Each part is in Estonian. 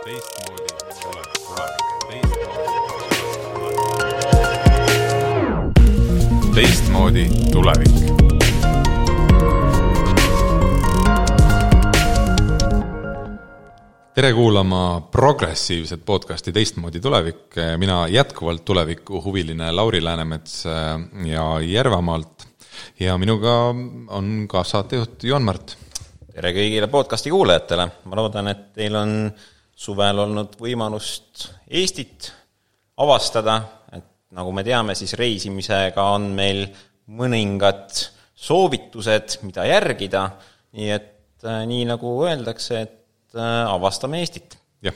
Teistmoodi tulevik. Tere kuulama progressiivset podcasti Teistmoodi tulevik. Mina jätkuvalt tuleviku huviline Lauri Läänemets ja Järvamaalt. Ja minuga on ka saatejuht Joon Märt. Tere kõigile podcasti kuulajatele. Ma loodan, et teil on suvel olnud võimalust Eestit avastada. Et nagu me teame, siis reisimisega on meil mõningad soovitused, mida järgida. Nii et nii nagu öeldakse, et avastame Eestit. Ja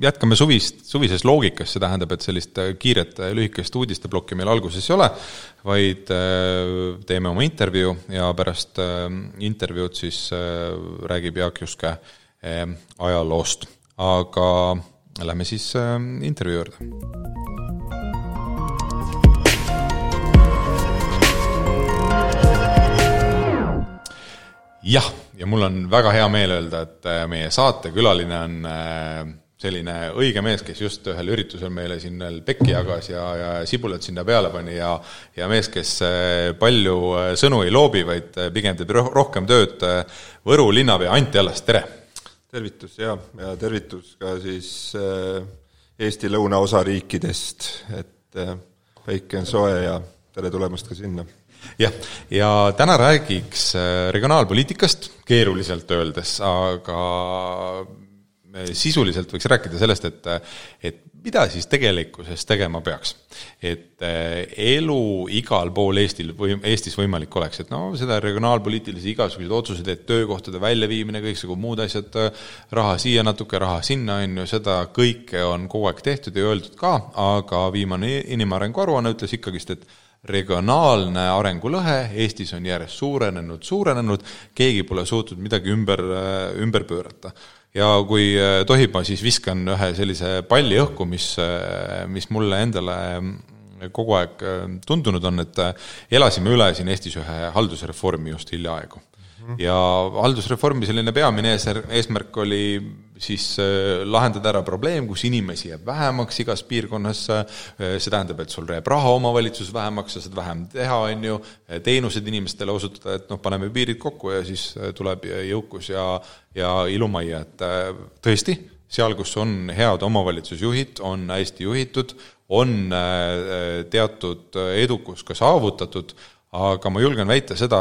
jätkame suvises loogikas, see tähendab, et sellist kiiret lühikest uudisteblokki meil alguses ei ole, vaid teeme oma intervjuu ja pärast intervjuud siis räägib Jaak Juske ajaloost. Aga lähme siis intervjuu juurde. Ja mul on väga hea meel öelda, et meie saatekülaline on selline õige mees, kes just ühel üritusel meile siin pekki jagas ja sibulat sinna peale pani ja mees, kes palju sõnu ei loobi, vaid pigem teeb rohkem tööd. Võru linnapea Anti Allas, tere! Tervitus ja tervitus ka siis Eesti lõunaosa riikidest, et päike on soe ja tere tulemast ka sinna. Ja täna räägiks regionaalpoliitikast, keeruliselt öeldes, aga sisuliselt võiks rääkida sellest, et mida siis tegelikkuses tegema peaks. Et elu igal pool Eestis võimalik oleks, et seda regionaalpoliitilisi igasugused otsused, et töökohtade väljaviimine, kõik muud asjad, raha siia natuke, raha sinna, seda kõike on kogu aeg tehtud ja öeldud ka, aga viimane inimarengu aruanne ütles ikkagist, et regionaalne arengulõhe Eestis on järjest suurenenud, keegi pole suutnud midagi ümber pöörata. Ja kui tohib, ma siis viskan ühe sellise palli õhku, mis mulle endale kogu aeg tundunud on, et elasime üle siin Eestis ühe haldusreformi just hiljaaegu. Ja haldusreformi selline peamine eesmärk oli siis lahendada ära probleem, kus inimesi jääb vähemaks igas piirkonnas, see tähendab, et sul jääb raha omavalitsus vähemaks, sa saad vähem teha, teenused inimestele osutada, et paneme piirid kokku ja siis tuleb jõukus ja ilumajja, et tõesti, seal, kus on head omavalitsusjuhid, on hästi juhitud, on teatud edukus ka saavutatud, aga ma julgen väita seda,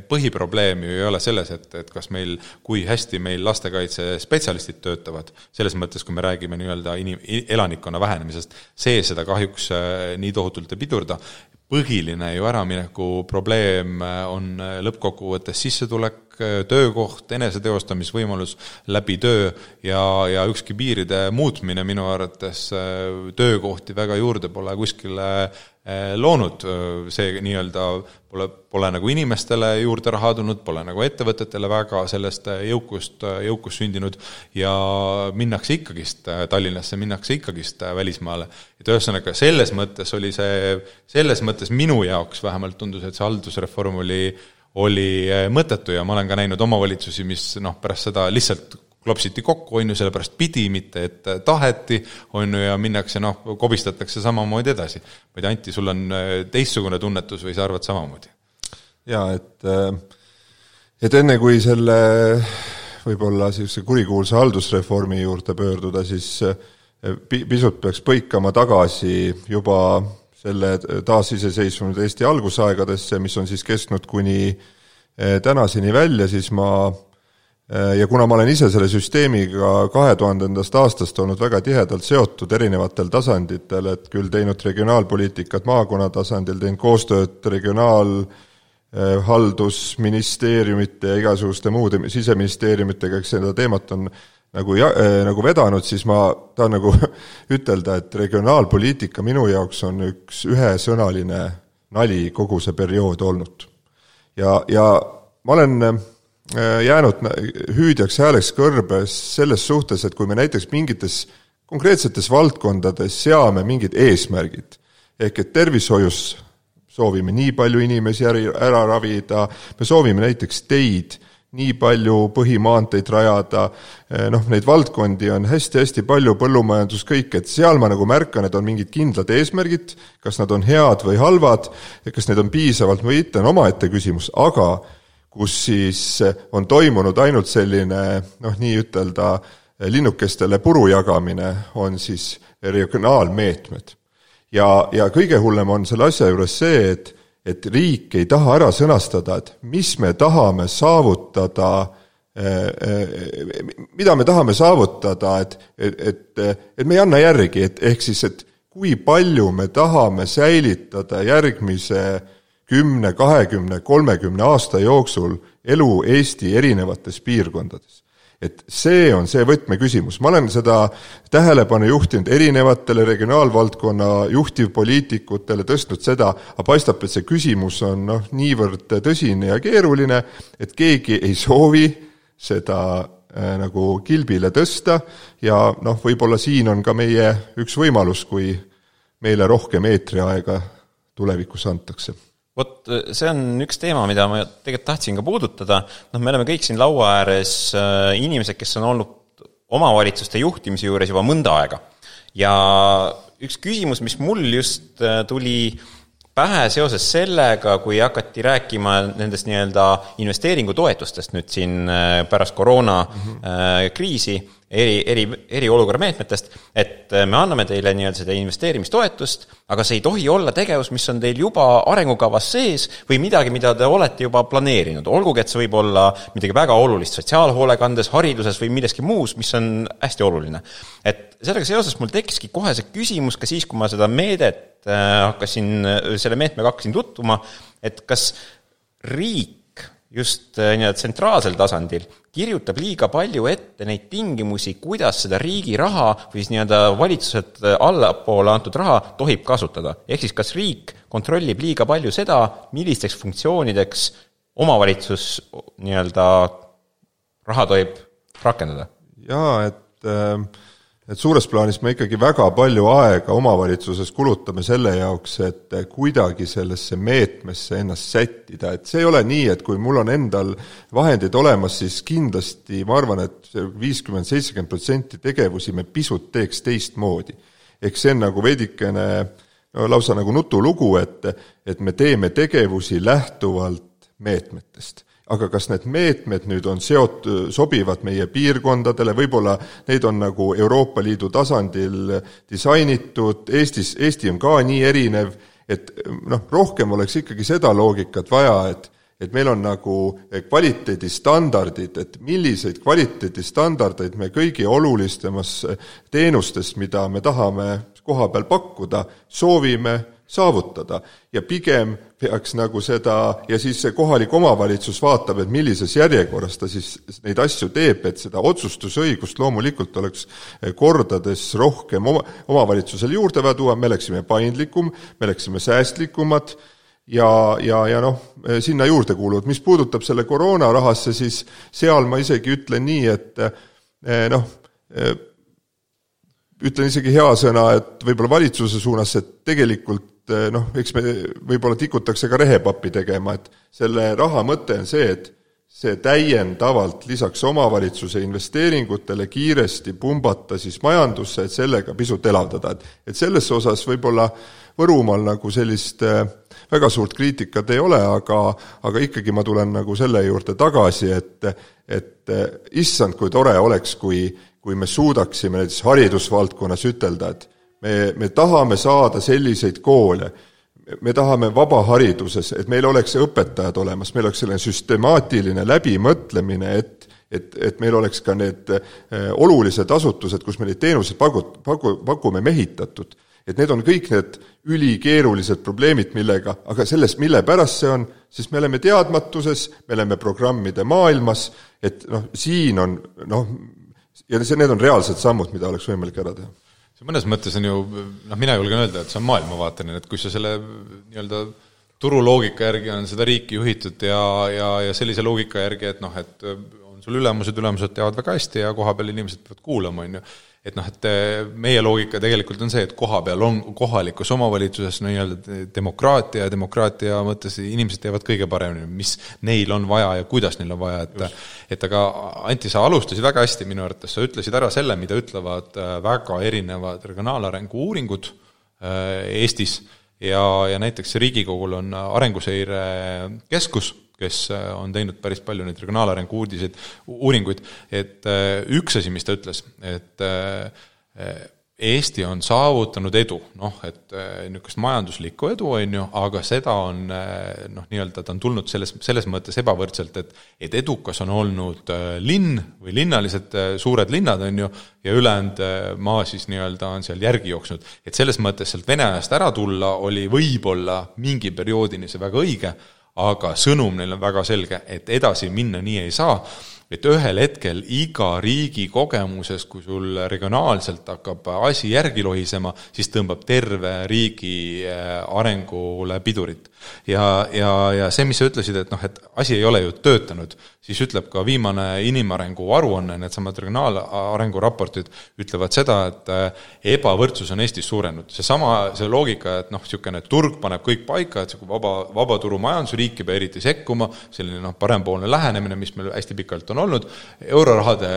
põhiprobleem ju ei ole selles, et kas meil, kui hästi meil lastekaitse spetsialistid töötavad, selles mõttes, kui me räägime nii-öelda elanikkonna vähenemisest, seda kahjuks nii tohutult ei pidurda. Põhiline ju äramineku probleem on lõppkokkuvõttes sissetulek, töökoht, eneseteostamisvõimalus läbi töö ja ükski piiride muutmine minu arvates töökohti väga juurde pole kuskile loonud, see nii-öelda pole nagu inimestele juurde raha tulnud, pole nagu ettevõtetele väga sellest jõukust sündinud ja minnakse ikkagist Tallinnasse, minnakse ikkagist välismaale. Et ühesõnaga selles mõttes oli selles mõttes minu jaoks vähemalt tundus, et see haldusreform oli mõttetu ja ma olen ka näinud omavalitsusi, mis pärast seda lihtsalt klopsiti kokku, sellepärast pidi, mitte et taheti, ja minnakse, kobistatakse samamoodi edasi. Ma ei tea, Anti, sul on teistsugune tunnetus või sa arvad samamoodi? Ja, et enne kui selle võib-olla kurikuulsa haldusreformi juurde pöörduda, siis pisut peaks põikama tagasi juba selle taasiseseisvunud Eesti algusaegadesse, mis on siis kestnud kuni tänaseni välja, siis ja kuna ma olen ise selle süsteemiga 2000. aastast olnud väga tihedalt seotud erinevatel tasanditel, et küll teinud regionaalpoliitikat maakonna tasandil, teinud koostööd regionaalhaldusministeeriumite ja igasuguste muude siseministeeriumitega, eks seda teemat on nagu vedanud, siis ma tahan nagu ütelda, et regionaalpoliitika minu jaoks on üks ühesõnaline nali kogu see periood olnud. Ja ma olen jäänud hüüdjaks hääleks kõrbes selles suhtes, et kui me näiteks mingites konkreetsetes valdkondades seame mingid eesmärgid, ehk et tervishoius soovime nii palju inimesi ära ravida, me soovime näiteks teid nii palju põhimaanteid rajada, noh, neid valdkondi on hästi-hästi palju, põllumajandus kõik, et seal ma nagu märkan, et on mingid kindlad eesmärgid, kas nad on head või halvad, kas need on piisavalt või mitte, on omaette küsimus, aga kus siis on toimunud ainult selline, noh, nii ütelda, linnukestele puru jagamine, on siis regionaalmeetmed. Ja kõige hullem on selle asja juures see, et riik ei taha ära sõnastada, et mis me tahame saavutada, mida me tahame saavutada, et me ei anna järgi, ehk siis, et kui palju me tahame säilitada järgmise 10, 20, 30 aasta jooksul elu Eesti erinevates piirkondades. Et see on see võtmeküsimus. Ma olen seda tähelepanu juhtinud erinevatele regionaalvaldkonna juhtivpoliitikutele, tõstnud seda, aga paistab, et see küsimus on niivõrd tõsine ja keeruline, et keegi ei soovi seda nagu kilbile tõsta ja võib-olla siin on ka meie üks võimalus, kui meile rohkem eetriaega tulevikus antakse. Vot see on üks teema, mida ma tegelikult tahtsin ka puudutada. Me oleme kõik siin laua ääres inimesed, kes on olnud omavalitsuste juhtimise juures juba mõnda aega. Ja üks küsimus, mis mul just tuli pähe seoses sellega, kui hakati rääkima nendest nii-öelda investeeringutoetustest nüüd siin pärast koroona kriisi, eriolukorra meetmetest, et me anname teile nii-öelda seda investeerimistoetust, aga see ei tohi olla tegevus, mis on teil juba arengukavas sees või midagi, mida te olete juba planeerinud. Olgugi, et see võib olla midagi väga olulist sotsiaalhoolekandes, hariduses või milleski muus, mis on hästi oluline. Et sellega seoses mul tekiski kohe see küsimus ka siis, kui ma seda meedet selle meetmega hakkasin tutvuma, et kas riik just tsentraalsel tasandil kirjutab liiga palju ette neid tingimusi, kuidas seda riigi raha või siis valitsused allapoole antud raha tohib kasutada. Ehk siis kas riik kontrollib liiga palju seda, millisteks funktsioonideks omavalitsus raha tohib rakendada? Jaa, et suures plaanis me ikkagi väga palju aega omavalitsuses kulutame selle jaoks, et kuidagi sellesse meetmesse ennast sättida. Et see ei ole nii, et kui mul on endal vahendid olemas, siis kindlasti ma arvan, et 50-70% tegevusi me pisut teeks teistmoodi. Ehk see on nagu veidikene lausa nagu nutulugu, et me teeme tegevusi lähtuvalt meetmetest. Aga kas need meetmed nüüd on sobivad meie piirkondadele, võib-olla neid on nagu Euroopa Liidu tasandil disainitud, Eesti on ka nii erinev, et rohkem oleks ikkagi seda loogikat vaja, et meil on nagu kvaliteedistandardid, et milliseid kvaliteedistandardeid me kõigi olulistemas teenustes, mida me tahame koha peal pakkuda, soovime saavutada ja pigem peaks nagu seda ja siis see kohalik omavalitsus vaatab, et millises järjekorras ta siis neid asju teeb, et seda otsustusõigust loomulikult oleks kordades rohkem omavalitsusele juurde tuua, me oleksime paindlikum, me oleksime säästlikumad ja sinna juurde kuuluvad. Mis puudutab selle koroonarahasse, siis seal ma isegi ütlen nii, et ütlen isegi hea sõna, et võib-olla valitsuse suunas, et tegelikult eks me võib-olla tikutakse ka rehepappi tegema, et selle raha mõte on see, et see täiendavalt lisaks omavalitsuse investeeringutele kiiresti pumbata siis majandusse, et sellega pisut elavdada. Et selles osas võib-olla Võrumaal nagu sellist väga suurt kriitikat ei ole, aga ikkagi ma tulen nagu selle juurde tagasi, et issand, kui tore oleks, kui me suudaksime näiteks haridusvaldkonnas ütelda, et me tahame saada selliseid koole, me tahame vabahariduses, et meil oleks õpetajad olemas, meil oleks selline süstemaatiline läbimõtlemine, et meil oleks ka need olulised asutused, kus me neid teenuseid pakume mehitatud. Et need on kõik need ülikeerulised probleemid, millega, aga sellest, mille pärast see on, sest me oleme teadmatuses, me oleme programmide maailmas, et siin on, ja need on reaalsed sammud, mida oleks võimalik ära teha. See mõnes mõttes on ju, mina julgen öelda, et see on maailmavaateline, et kui sa selle nii-öelda turuloogika järgi on seda riiki juhitud ja sellise loogika järgi, et on sul ülemused teavad väga hästi ja koha peal inimesed peavad kuulama, on ju. Et noh, et meie loogika tegelikult on see, et koha peal on kohalikus omavalitsuses demokraatia mõttes inimesed teevad kõige paremini, mis neil on vaja ja kuidas neil on vaja, et aga Anti, sa alustasid väga hästi minu arvates, sa ütlesid ära selle, mida ütlevad väga erinevad regionaalarengu uuringud Eestis ja näiteks Riigikogul on Arenguseire Keskus, kes on teinud päris palju neid regionaalarengu uuringuid, et üks asi, mis ta ütles, et Eesti on saavutanud edu, et niisugust majanduslikku edu on ju, aga seda on, nii-öelda ta on tulnud selles mõttes ebavõrdselt, et edukas on olnud linn või linnalised suured linnad on ju, ja ülejäänud maa siis nii-öelda on seal järgi jooksnud. Et selles mõttes sealt Vene ajast ära tulla oli võib-olla mingi perioodini see väga õige, aga sõnum neil on väga selge, et edasi minna nii ei saa, et ühel hetkel iga riigi kogemuses, kui sul regionaalselt hakkab asi järgi lohisema, siis tõmbab terve riigi arengule pidurit. Ja see, mis sa ütlesid, et asi ei ole ju töötanud, siis ütleb ka viimane inimarengu aruanne, need samad regionaalarengu raportid ütlevad seda, et ebavõrdsus on Eestis suurenud. See loogika, et niisugune turg paneb kõik paika, et see vabaturumajandus riik ei pea eriti sekkuma, selline parempoolne lähenemine, mis meil hästi pikalt on olnud, eurorahade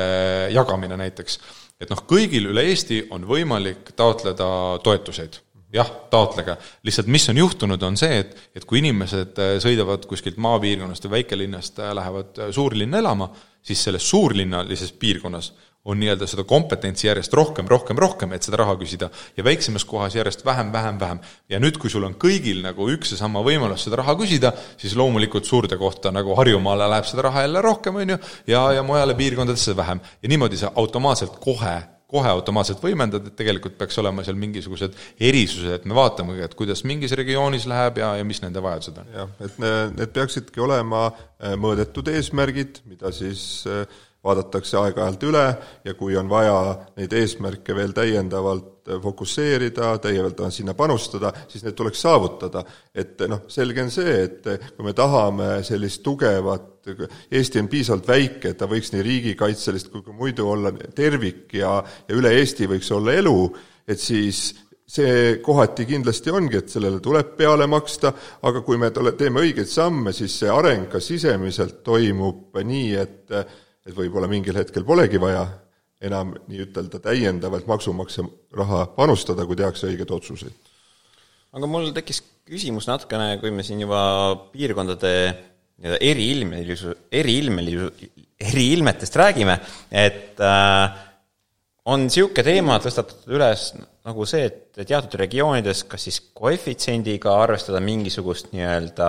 jagamine näiteks. Et kõigil üle Eesti on võimalik taotleda toetuseid. Jah, taotlege. Lihtsalt mis on juhtunud on see, et kui inimesed sõidavad kuskilt maapiirkonnast või väikelinnast lähevad suurlinna elama, siis selles suurlinnalises piirkonnas on nii-öelda seda kompetentsi järjest rohkem, et seda raha küsida ja väiksemas kohas järjest vähem. Ja nüüd, kui sul on kõigil üks ja sama võimalus seda raha küsida, siis loomulikult suurde kohta Harjumaale läheb seda raha jälle rohkem, on ju, ja mujale piirkondadesse vähem. Ja niimoodi sa automaatselt kohe automaatselt võimendad, et tegelikult peaks olema seal mingisugused erisused, et me vaatame, et kuidas mingis regioonis läheb ja mis nende vajadused on. Jah, et need peaksidki olema mõõdetud eesmärgid, mida siis vaadatakse aeg-ajalt üle ja kui on vaja neid eesmärke veel täiendavalt fokusseerida, täiendavalt sinna panustada, siis need tuleks saavutada. Et selge on see, et kui me tahame sellist tugevat, Eesti on piisavalt väike, et ta võiks nii riigikaitselist kui muidu olla tervik ja üle Eesti võiks olla elu, et siis see kohati kindlasti ongi, et sellele tuleb peale maksta, aga kui me teeme õigeid samme, siis see areng ka sisemiselt toimub nii, et võib-olla mingil hetkel polegi vaja enam nii ütelda täiendavalt maksumaksja raha panustada, kui tehakse õiged otsuseid. Aga mul tekkis küsimus natukene, kui me siin juba piirkondade eriilmetest räägime, et on siuke teema tõstatatud üles nagu see, et teatud regioonides kas siis koefitsiendiga arvestada mingisugust nii-öelda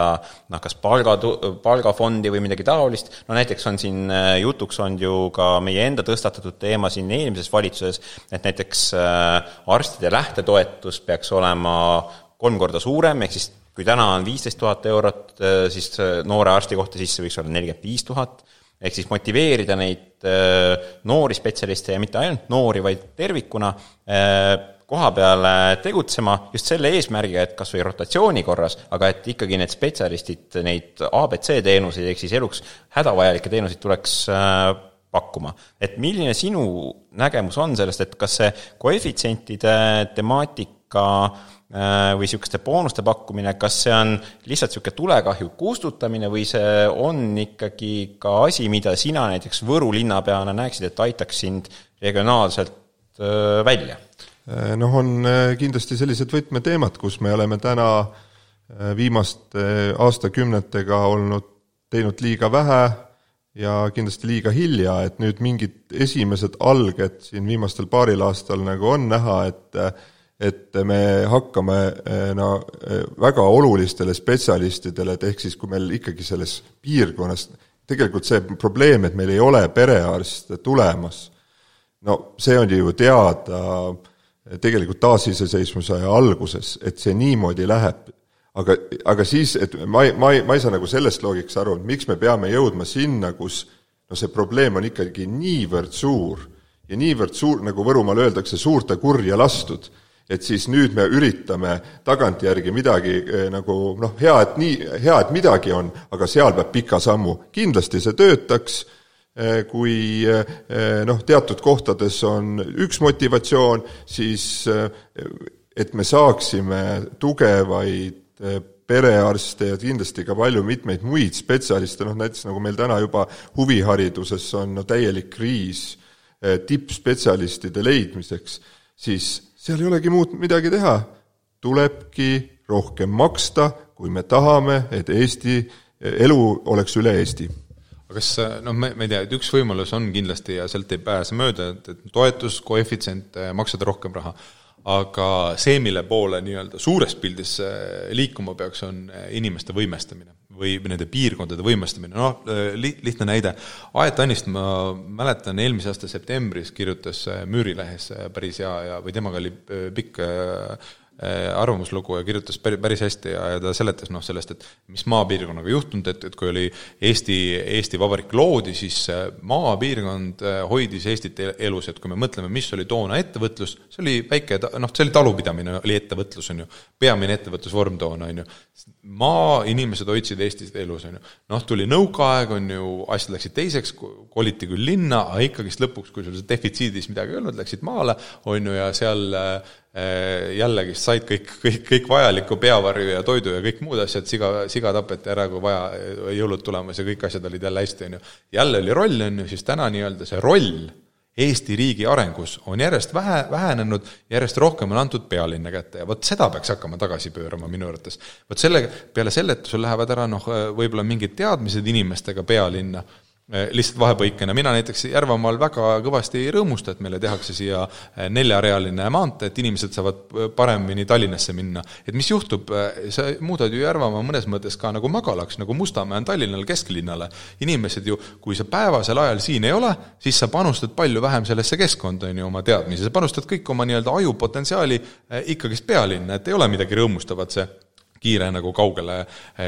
kas palgafondi või midagi taolist. Näiteks on siin jutuks on ju ka meie enda tõstatatud teema siin eelmises valitsuses, et näiteks arstide lähtetoetus peaks olema 3 korda suurem, ehk siis kui täna on 15 000 eurot, siis noore arsti kohta siis see võiks olla 45 000, ehk siis motiveerida neid noori spetsialiste ja mitte ainult noori, vaid tervikuna koha peale tegutsema just selle eesmärgiga, et kas või rotatsiooni korras, aga et ikkagi need spetsialistid, neid ABC teenuseid, ehk siis eluks hädavajalikke teenuseid tuleks pakkuma. Et milline sinu nägemus on sellest, et kas see koefitsientide temaatika või niisuguste boonuste pakkumine, kas see on lihtsalt niisugune tulekahju kustutamine või see on ikkagi ka asi, mida sina näiteks Võru linnapeana näeksid, et aitaks sind regionaalselt välja? On kindlasti sellised võtmeteemad, kus me oleme täna viimaste aastakümnetega teinud liiga vähe ja kindlasti liiga hilja, et nüüd mingid esimesed alged siin viimastel paaril aastal on näha, et me hakkame väga olulistele spetsialistidele, et ehk siis kui meil ikkagi selles piirkonnas tegelikult see probleem, et meil ei ole perearste tulemas, see on ju teada tegelikult taasiseseisvuse alguses, et see niimoodi läheb. Aga siis, et ma ei saa sellest loogikast aru, miks me peame jõudma sinna, kus see probleem on ikkagi niivõrd suur ja niivõrd suur, nagu Võrumaal öeldakse, suurte kurja lastud, et siis nüüd me üritame tagantjärgi midagi hea, et midagi on, aga seal peab pika sammu. Kindlasti see töötaks, kui teatud kohtades on üks motivatsioon, siis et me saaksime tugevaid perearste ja kindlasti ka palju mitmeid muid spetsialiste, näiteks nagu meil täna juba huvihariduses on täielik kriis tippspetsialistide leidmiseks, siis seal ei olegi muud midagi teha. Tulebki rohkem maksta, kui me tahame, et Eesti elu oleks üle Eesti. Aga kas, ma ei tea, et üks võimalus on kindlasti ja sealt ei pääse mööda, et toetus, koefitsient, maksada rohkem raha. Aga see, mille poole nii-öelda suures pildis liikuma peaks, on inimeste võimestamine või nende piirkondade võimestamine. Lihtne näide. Aet Tannist, ma mäletan, eelmise aasta septembris kirjutas Müürilehes päris hea või temaga oli pikk arvamuslugu ja kirjutas päris hästi ja ta seletas sellest, et mis maapiirkonnaga juhtunud, et kui oli Eesti Vabariik loodi, siis maapiirkond hoidis Eestit elus, et kui me mõtleme, mis oli toona ettevõtlus, see oli väike, see oli talupidamine, oli ettevõtlus, on ju, peamine ettevõtlusvorm toona, on ju, inimesed hoidsid Eestit elus, on ju, tuli nõukaaeg, on ju, asjad läksid teiseks, koliti küll linna, aga ikkagist lõpuks, kui sul defitsiidis midagi ei olnud, läksid maale, on ju, ja seal jällegi said kõik vajalikku peavarju ja toidu ja kõik muud asjad, siga tapeti ära, kui vaja, jõulud tulemas ja kõik asjad olid jälle hästi, on ju. Jälle oli roll, on ju, siis täna nii-öelda see roll Eesti riigi arengus on järjest vähenenud, järjest rohkem on antud pealinna kätte ja seda peaks hakkama tagasi pöörama minu arvates. Peale selle, et sul lähevad ära võib-olla mingid teadmised inimestega pealinna, lihtsalt vahepõikena. Mina näiteks Järvamaal väga kõvasti rõõmusta, et meile tehakse siia 4-realine maantee, et inimesed saavad paremini Tallinnasse minna. Et mis juhtub, sa muudad ju Järvamaa mõnes mõttes ka nagu magalaks, nagu Mustamäe on Tallinnal kesklinnale. Inimesed ju, kui sa päevasel ajal siin ei ole, siis sa panustad palju vähem sellesse keskkonda oma teadmisi. Sa panustad kõik oma nii-öelda ajupotentsiaali ikkagist pealinna, et ei ole midagi rõõmustavat see kiire nagu kaugele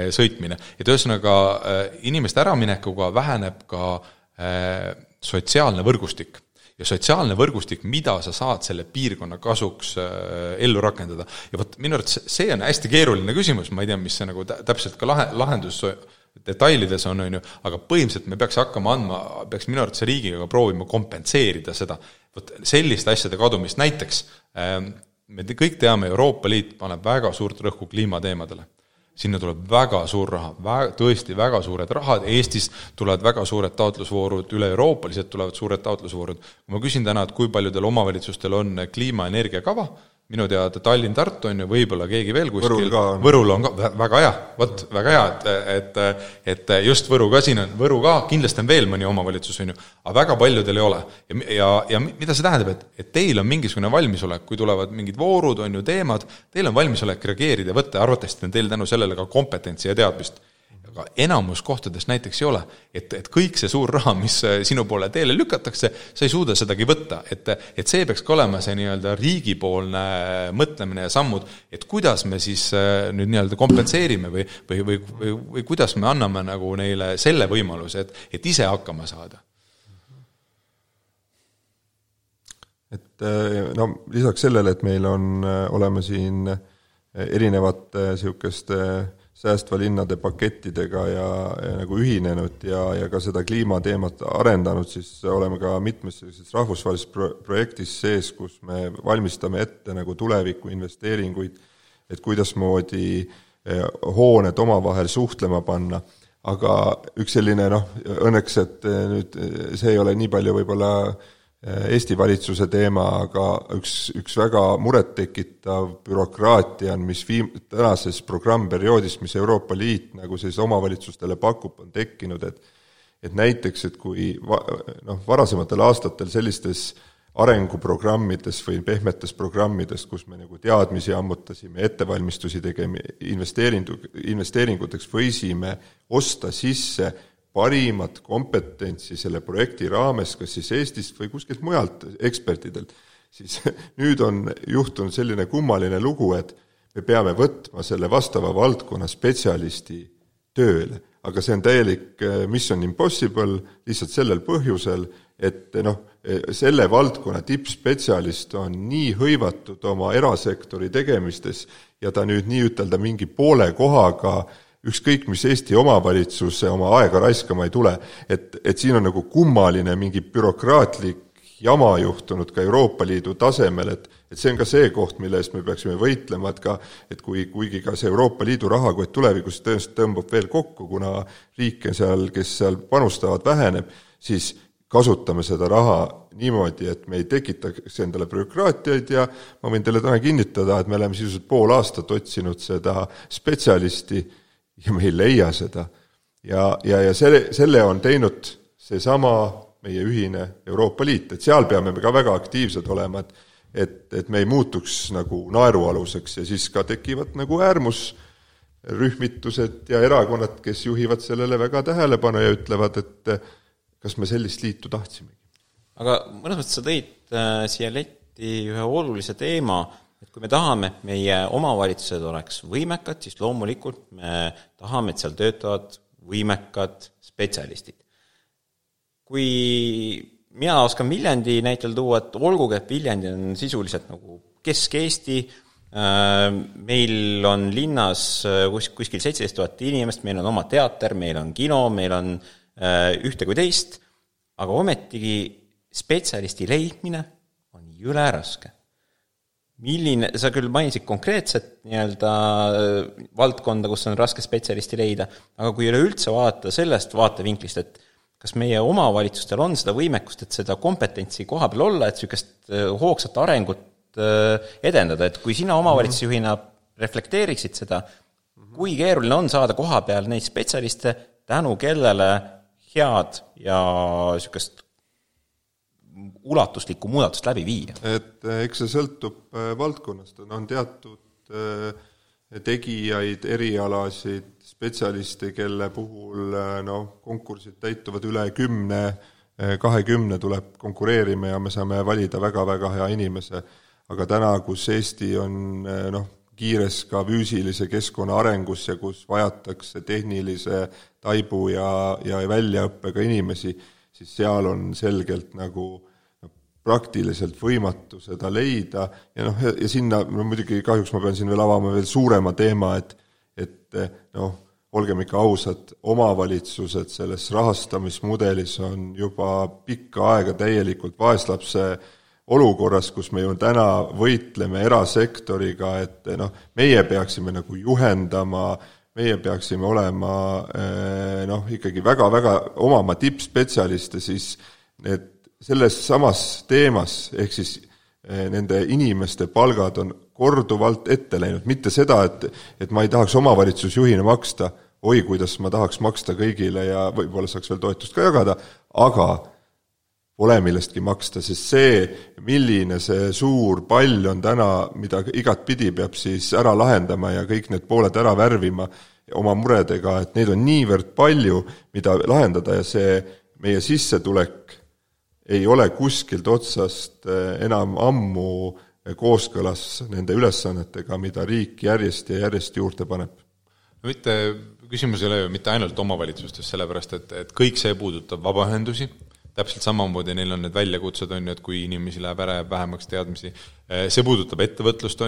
sõitmine. Et ühesõnaga inimeste äraminekuga väheneb ka sotsiaalne võrgustik. Ja sotsiaalne võrgustik, mida sa saad selle piirkonna kasuks ellu rakendada. Ja minu arvates see on hästi keeruline küsimus, ma ei tea, mis see nagu täpselt ka lahendus detailides on, aga põhimõtteliselt me peaks hakkama peaks minu arvates riigiga proovima kompenseerida seda. Selliste asjade kadumist näiteks me kõik teame, Euroopa Liit paneb väga suurt rõhku kliimateemadele. Sinna tuleb väga suur raha, tõesti väga suured rahad. Eestis tulevad väga suured taotlusvoorud, üle euroopaliselt tulevad suured taotlusvoorud. Kui ma küsin täna, et kui paljudel omavalitsustel on kliimaenergiakava, minu teada Tallinn, Tartu on ju, võib-olla keegi veel kuskil. Võrul on ka väga hea, väga hea, et just Võru ka siin on, Võru ka kindlasti on veel mõni omavalitsus, on ju, aga väga paljudel ei ole. Ja mida see tähendab, et teil on mingisugune valmisolek, kui tulevad mingid voorud, on ju teemad, teil on valmisolek reageerida ja võtta, arvatavasti on teil tänu sellele ka kompetentsi ja teadmist. Aga enamus kohtades näiteks ei ole, et kõik see suur raha, mis sinu poole teele lükatakse, sa ei suuda sedagi võtta, et see peaks ka olema see nii-öelda riigipoolne mõtlemine ja sammud, et kuidas me siis nüüd nii-öelda kompenseerime või kuidas me anname nagu neile selle võimaluse, et ise hakkama saada. Et lisaks sellele, et meil oleme siin erinevate sihukeste säästva linnade pakettidega ja nagu ühinenud ja ka seda kliimateemat arendanud, siis oleme ka mitmes rahvusvahelises projektis sees, kus me valmistame ette nagu tuleviku investeeringuid, et kuidas moodi hooned omavahel suhtlema panna. Aga üks selline, õnneks, et nüüd see ei ole nii palju võib-olla Eesti valitsuse teema, aga üks väga muret tekitav bürokraatia on, mis tänases programmperioodis, mis Euroopa Liit nagu siis omavalitsustele pakub, on tekkinud, et näiteks, et kui varasematel aastatel sellistes arenguprogrammides või pehmetes programmides, kus me nagu teadmisi ammutasime, ettevalmistusi tegime, investeeringuteks võisime osta sisse parimat kompetentsi selle projekti raames, kas siis Eestist või kuskilt mujalt ekspertidelt, siis nüüd on juhtunud selline kummaline lugu, et me peame võtma selle vastava valdkonna spetsialisti tööle. Aga see on täielik mission impossible lihtsalt sellel põhjusel, et selle valdkonna tippspetsialist on nii hõivatud oma erasektori tegemistes ja ta nüüd nii ütelda mingi poole kohaga ükskõik, mis Eesti omavalitsuse oma aega raiskama ei tule, et siin on nagu kummaline mingi bürokraatlik jama juhtunud ka Euroopa Liidu tasemel, et see on ka see koht, mille eest me peaksime võitlema, et kuigi ka see Euroopa Liidu rahakott tulevikus tõenäoliselt tõmbab veel kokku, kuna riike seal, kes seal panustavad, väheneb, siis kasutame seda raha niimoodi, et me ei tekitaks endale bürokraatiaid ja ma võin teile täna kinnitada, et me oleme sisuliselt pool aastat otsinud seda spetsialisti ja me ei leia seda. Ja selle on teinud seesama meie ühine Euroopa Liit, et seal peame me ka väga aktiivsed olema, et me ei muutuks nagu naerualuseks ja siis ka tekivad nagu äärmusrühmitused ja erakonnad, kes juhivad sellele väga tähelepanu ja ütlevad, et kas me sellist liitu tahtsimegi. Aga mõnes mõttes sa tõid siia letti ühe olulise teema, et kui me tahame, et meie omavalitsused oleks võimekad, siis loomulikult me tahame, et seal töötavad võimekad spetsialistid. Kui mina oskan Viljandi näitel tuua, et olgugi, et Viljandi on sisuliselt nagu Kesk-Eesti, meil on linnas kuskil 17 000 inimest, meil on oma teater, meil on kino, meil on ühte kui teist, aga ometigi spetsialisti leidmine on jõle raske. Sa küll mainisid konkreetset valdkonda, kus on raske spetsialisti leida, aga kui üleüldse vaadata sellest vaatevinklist, et kas meie omavalitsustel on seda võimekust, et seda kompetentsi koha peal olla, et niisugust hoogsat arengut edendada, et kui sina omavalitsusjuhina reflekteeriksid seda, kui keeruline on saada koha peal neid spetsialiste, tänu kellele head ja niisugust ulatuslikku muudatust läbi viia? Et eks see sõltub valdkonnast, on teatud tegijaid, erialasid, spetsialiste, kelle puhul konkursid täituvad üle 10-20 tuleb konkureerima ja me saame valida väga-väga hea inimese, aga täna, kus Eesti on kiires ka füüsilise keskkonna arengus ja kus vajatakse tehnilise taibu ja väljaõppega inimesi, siis seal on selgelt nagu praktiliselt võimatu seda leida ja sinna, muidugi kahjuks ma pean siin veel avama veel suurema teema, et olgem ikka ausad, omavalitsused selles rahastamismudelis on juba pikka aega täielikult vaeslapse olukorras, kus me ju täna võitleme erasektoriga, et meie peaksime nagu juhendama, meie peaksime olema ikkagi väga-väga omama tippspetsialiste, siis selles samas teemas, ehk siis nende inimeste palgad on korduvalt ette läinud, mitte seda, et ma ei tahaks omavalitsusjuhina maksta, oi, kuidas ma tahaks maksta kõigile ja võib-olla saaks veel toetust ka jagada, aga pole millestki maksta, sest see, milline see suur pall on täna, mida igat pidi peab siis ära lahendama ja kõik need pooled ära värvima oma muredega, et neid on niivõrd palju, mida lahendada ja see meie sissetulek ei ole kuskilt otsast enam ammu kooskõlas nende ülesannetega, mida riik järjest ja järjest juurde paneb. Mitte, küsimus ei ole ju mitte ainult omavalitsustes, sellepärast, et kõik see puudutab vabaühendusi, täpselt samamoodi neil on need väljakutsed, et kui inimesi läheb ära ja vähemaks teadmisi, see puudutab ettevõtlust,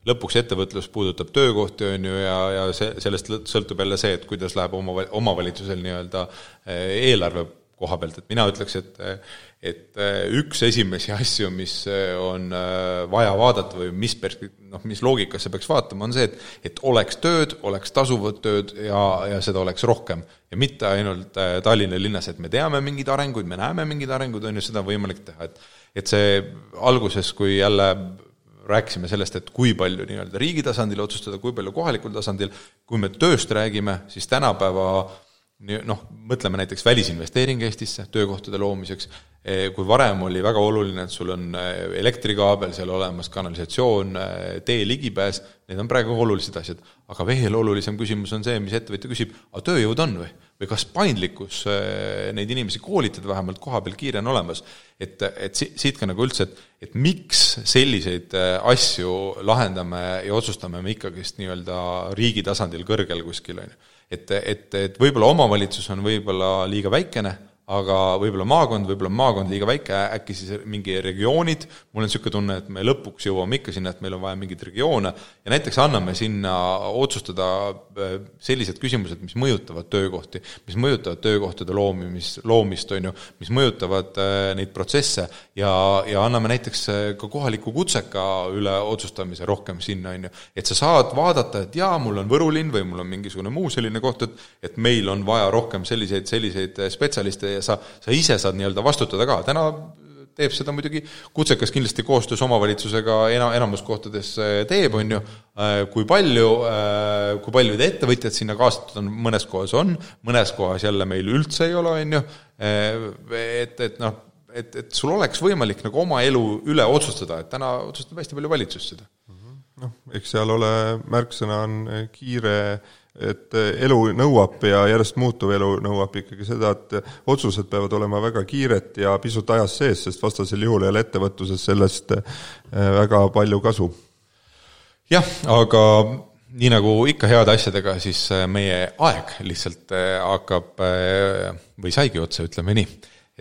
lõpuks ettevõtlus puudutab töökohti, ja sellest sõltub jälle see, et kuidas läheb omavalitsusel eelarve koha pealt, et mina ütleks, et üks esimesi asju, mis on vaja vaadata või mis loogikasse peaks vaatama, on see, et oleks tööd, oleks tasuvad tööd ja seda oleks rohkem. Ja mitte ainult Tallinna linnas, et me teame mingeid arenguid, me näeme mingeid arenguid, seda võimalik teha. Et see alguses, kui jälle rääkisime sellest, et kui palju riigi tasandil otsustada, kui palju kohalikul tasandil, kui me tööst räägime, siis tänapäeva mõtleme näiteks välisinvesteering Eestisse töökohtade loomiseks, kui varem oli väga oluline, et sul on elektrikaabel, seal olemas kanalisatsioon, tee ligipääs, need on praegu olulised asjad, aga veel olulisem küsimus on see, mis ettevõtja küsib, aga tööjõud on või kas paindlikkus neid inimesi koolitada vähemalt koha peal kiire on olemas, et siit ka üldse, et miks selliseid asju lahendame ja otsustame me ikkagist riigi tasandil kõrgel kuskil, et võib-olla omavalitsus on võib-olla liiga väikene, aga võib-olla maakond liiga väike, äkki siis mingi regioonid, mul on niisugune tunne, et me lõpuks jõuame ikka sinna, et meil on vaja mingeid regioone ja näiteks anname sinna otsustada sellised küsimused, mis mõjutavad töökohti, mis mõjutavad töökohtade loomist, on ju, mis mõjutavad neid protsesse ja anname näiteks ka kohaliku kutseka üle otsustamise rohkem sinna, on ju, et sa saad vaadata, et jaa, mul on Võrulinn või mul on mingisugune muu selline koht, et meil on vaja rohkem selliseid spetsialiste ja sa ise saad nii-öelda vastutada ka. Täna teeb seda muidugi kutsekas kindlasti koostöös omavalitsusega enamus kohtades teeb, on ju, kui palju ettevõtjad sinna kaasatud on, mõnes kohas on, mõnes kohas jälle meil üldse ei ole, on ju, et sul oleks võimalik nagu oma elu üle otsustada, et täna otsustab hästi palju valitsus seda. Eks seal ole märksõna on kiire, et elu nõuab ja järjest muutuv elu nõuab ikkagi seda, et otsused peavad olema väga kiired ja pisut ajas sees, sest vastasel juhul ei ole ettevõtluses sellest väga palju kasu. Jah, aga nii nagu ikka heade asjadega, siis meie aeg lihtsalt hakkab või saigi otsa, ütleme nii.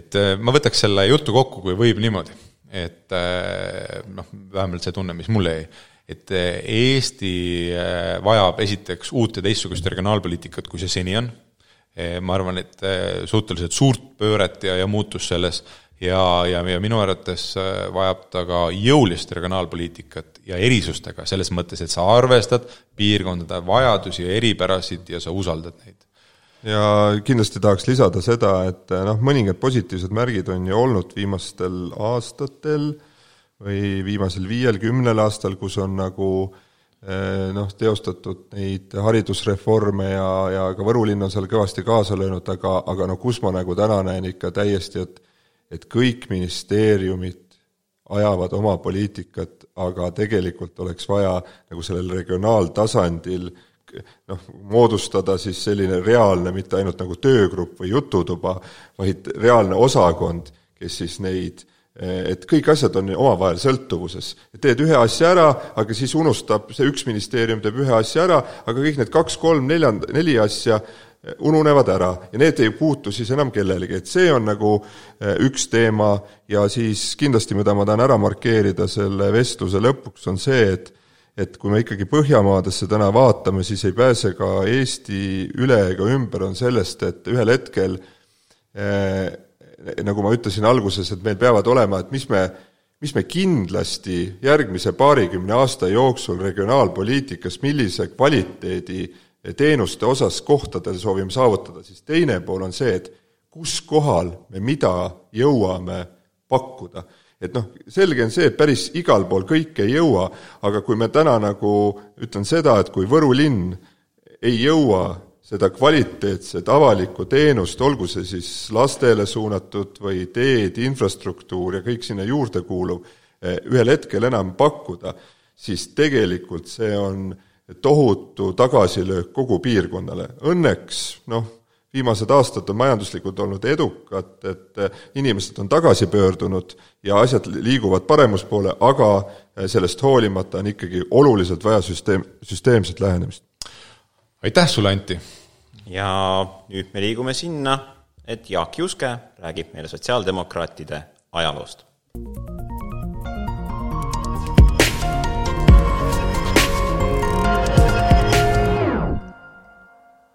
Et ma võtaks selle jutu kokku, kui võib niimoodi, et vähemalt see tunne, mis mulle jäi, et Eesti vajab esiteks uut ja teistsugust regionaalpoliitikat, kui see seni on. Ma arvan, et suhteliselt suurt pööret ja muutus selles ja minu arvates vajab ta ka jõulist regionaalpoliitikat ja erisustega selles mõttes, et sa arvestad piirkondade vajadusi ja eripärasid ja sa usaldad neid. Ja kindlasti tahaks lisada seda, et mõningad positiivsed märgid on ju olnud viimastel aastatel või viimasel 5-10 aastal, kus on nagu teostatud neid haridusreforme ja ka Võrulinn on seal kõvasti kaasa löönud, aga kus ma nagu täna näen ikka täiesti, et kõik ministeeriumid ajavad oma poliitikat, aga tegelikult oleks vaja nagu sellel regionaaltasandil moodustada siis selline reaalne, mitte ainult nagu töögrupp või jututuba, vaid reaalne osakond, kes siis neid et kõik asjad on omavahel sõltuvuses. Teed ühe asja ära, aga siis unustab, see üks ministeerium teeb ühe asja ära, aga kõik need 2, 3, 4 asja ununevad ära ja need ei puutu siis enam kellelegi. Et see on nagu üks teema ja siis kindlasti, mida ma tahan ära markeerida selle vestluse lõpuks, on see, et kui me ikkagi Põhjamaadesse täna vaatame, siis ei pääse ka Eesti üle ega ümber on sellest, et ühel hetkel nagu ma ütlesin alguses, et meil peavad olema, et mis me kindlasti järgmise 20 aasta jooksul regionaalpoliitikas, millise kvaliteedi teenuste osas kohtadel soovime saavutada, siis teine pool on see, et kus kohal me mida jõuame pakkuda. Et selge on see, et päris igal pool kõik ei jõua, aga kui me täna nagu ütlen seda, et kui Võrulinn ei jõua seda kvaliteetset avalikku teenust, olgu see siis lastele suunatud või teed, infrastruktuur ja kõik sinna juurde kuuluv, ühel hetkel enam pakkuda, siis tegelikult see on tohutu tagasilöök kogu piirkonnale. Õnneks, viimased aastad on majanduslikult olnud edukad, et inimesed on tagasi pöördunud ja asjad liiguvad paremuspoole, aga sellest hoolimata on ikkagi oluliselt vaja süsteemset lähenemist. Aitäh sulle, Anti! Ja nüüd me liigume sinna, et Jaak Juske räägib meile sotsiaaldemokraatide ajaloost.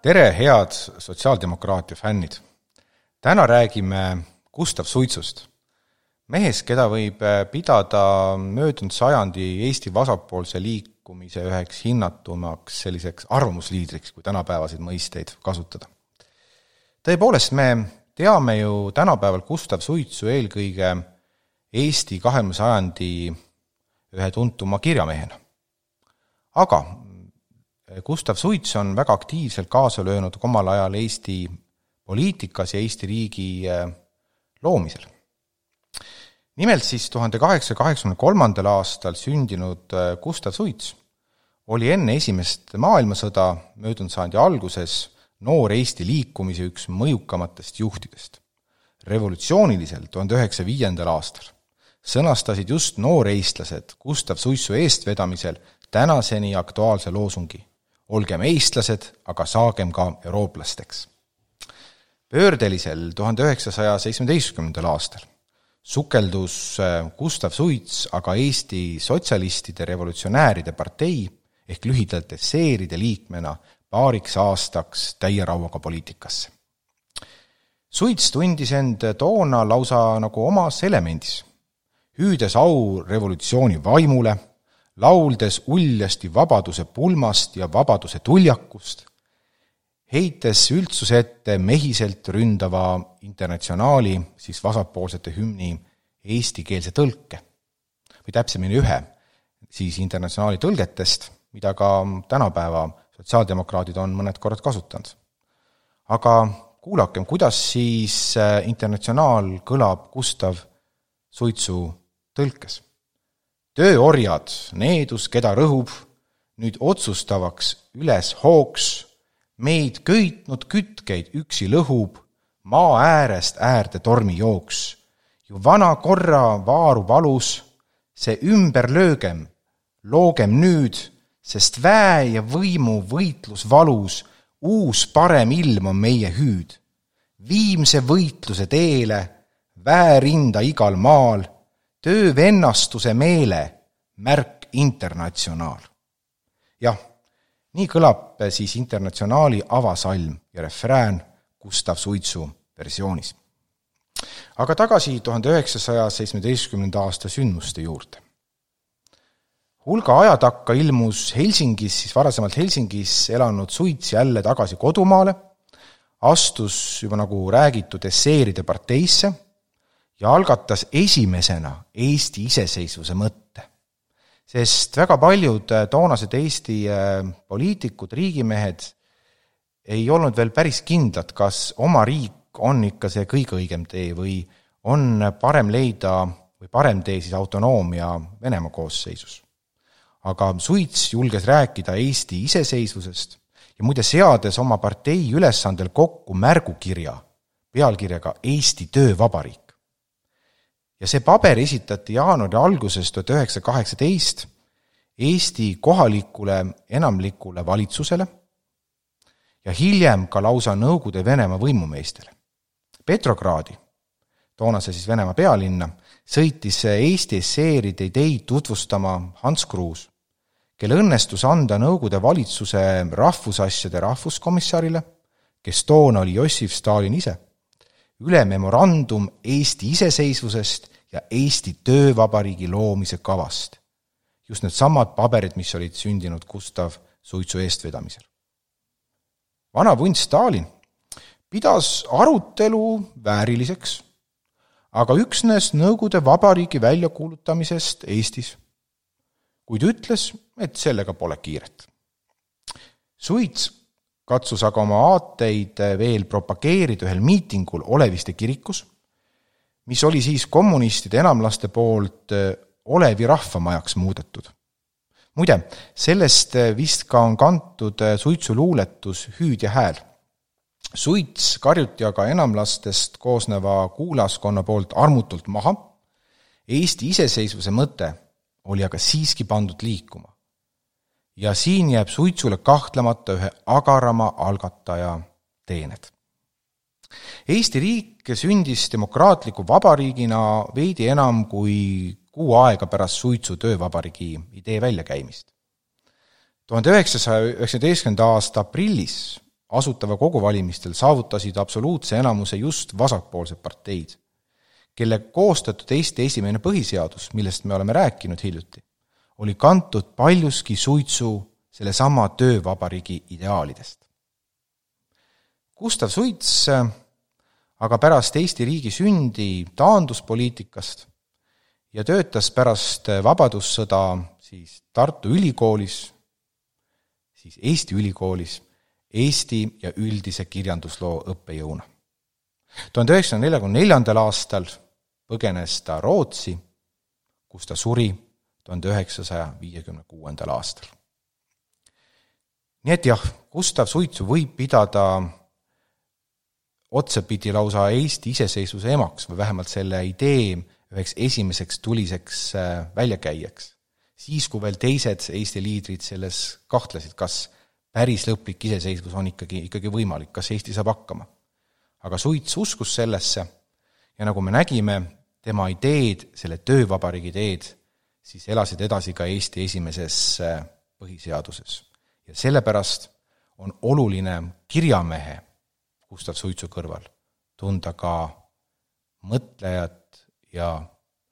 Tere, head sotsiaaldemokraatia fännid! Täna räägime Gustav Suitsust. Mehest, keda võib pidada möödunud sajandi Eesti vasakpoolse liikumise üheks hinnatumaks selliseks arvamusliidriks, kui tänapäevaseid mõisteid kasutada. Tõepoolest, me teame ju tänapäeval Gustav Suitsu eelkõige Eesti 20. sajandi ühe tuntuma kirjamehena. Aga Gustav Suits on väga aktiivselt kaasa löönud omal ajal Eesti poliitikas ja Eesti riigi loomisel. Nimelt siis 1883. aastal sündinud Gustav Suits oli enne esimest maailmasõda möödunud sajandi alguses noor Eesti liikumise üks mõjukamatest juhtidest. Revolutsioonilisel 1905. aastal sõnastasid just nooreistlased Gustav Suitsu eestvedamisel tänaseni aktuaalse loosungi: olgem eestlased, aga saagem ka eurooplasteks. Pöördelisel 1917. aastal sukeldus Gustav Suits aga Eesti Sotsialistide Revolutsionääride partei ehk lühidalt SER-ide liikmena paariks aastaks täie rauaga poliitikasse. Suits tundis end toona lausa nagu omas elemendis, hüüdes au revolutsiooni vaimule, lauldes uljasti vabaduse pulmast ja vabaduse tuljakust, heites üldsuse ette mehiselt ründava Internatsionaali, siis vasakpoolsete hümni eestikeelse tõlke. Või täpsemini ühe siis Internatsionaali tõlgetest, mida ka tänapäeva sotsiaaldemokraadid on mõned korrad kasutanud. Aga kuulakem, kuidas siis Internatsionaal kõlab Gustav Suitsu tõlkes. Tööorjad, needus, keda rõhub, nüüd otsustavaks üles hooks, meid köitnud kütkeid üksi lõhub, maa äärest äärde tormi jooks. Ju vana korra vaaru valus, see ümber löögem, loogem nüüd, sest väe ja võimu võitlus valus, uus parem ilm on meie hüüd. Viimse võitluse teele, väerinda igal maal, töövennastuse meele, märk Internatsionaal. Jah, nii kõlab siis Internatsionaali avasalm ja refrään Gustav Suitsu versioonis. Aga tagasi 1917. aasta sündmuste juurde. Hulga aja takka ilmus Helsingis, siis varasemalt Helsingis elanud Suits jälle tagasi kodumaale, astus juba nagu räägitud SER-ide parteisse ja algatas esimesena Eesti iseseisvuse mõtte. Sest väga paljud toonased Eesti poliitikud, riigimehed ei olnud veel päris kindlad, kas oma riik on ikka see kõige õigem tee või on parem leida või parem tee siis autonoomia Venemaa koosseisus. Aga Suits julges rääkida Eesti iseseisvusest ja muide seades oma partei ülesandel kokku märgukirja pealkirjaga Eesti Töövabariik. Ja see paber esitati jaanuari alguses 1918 Eesti kohalikule enamlikule valitsusele ja hiljem ka lausa Nõukogude Venemaa võimumeestele. Petrogradi, toonase siis Venemaa pealinna, sõitis Eesti SER-ide ideid tutvustama Hans Kruus, kelle õnnestus anda Nõukogude valitsuse rahvusasjade rahvuskomissarile, kes toona oli Jossif Stalin ise, üle memorandum Eesti iseseisvusest ja Eesti Töövabariigi loomise kavast. Just need samad paberid, mis olid sündinud Gustav Suitsu eestvedamisel. Vana vunt Stalin pidas arutelu vääriliseks, aga üksnes Nõukogude Vabariigi väljakuulutamisest Eestis, kuid ütles, et sellega pole kiiret. Suits katsus aga oma aateid veel propageerida ühel miitingul Oleviste kirikus, mis oli siis kommunistide enamlaste poolt Olevi rahvamajaks muudetud. Muide, sellest vist ka on kantud Suitsu luuletus Hüüd ja hääl. Suits karjuti aga enamlastest koosneva kuulaskonna poolt armutult maha. Eesti iseseisvuse mõte oli aga siiski pandud liikuma. Ja siin jääb Suitsule kahtlemata ühe agarama algataja teened. Eesti riik sündis demokraatliku vabariigina veidi enam kui 6 aega pärast Suitsu töövabariigi idee väljakäimist. 1919. aasta aprillis asutava koguvalimistel saavutasid absoluutse enamuse just vasakpoolsed parteid, kelle koostatud Eesti esimene põhiseadus, millest me oleme rääkinud hiljuti, oli kantud paljuski Suitsu sellesama töövabariigi ideaalidest. Gustav Suits aga pärast Eesti riigi sündi taandus poliitikast ja töötas pärast vabadussõda siis Tartu Ülikoolis, siis Eesti Ülikoolis, Eesti ja üldise kirjandusloo õppejõuna. 1944. aastal põgenes ta Rootsi, kus ta suri 1956. aastal. Nii et jah, Gustav Suitsu võib pidada otsapidi lausa Eesti iseseisvuse emaks või vähemalt selle idee üheks esimeseks tuliseks väljakäijaks. Siis, kui veel teised Eesti liidrid selles kahtlesid, kas päris lõplik iseseisvus on ikkagi võimalik, kas Eesti saab hakkama. aga Suits uskus sellesse ja nagu me nägime, tema ideed, selle töövabariigi ideed, siis elasid edasi ka Eesti esimeses põhiseaduses. Ja sellepärast on oluline kirjamehe Gustav Suitsu kõrval tunda ka mõtlejat ja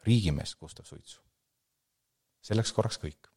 riigimeest Gustav Suitsu. Selleks korraks kõik.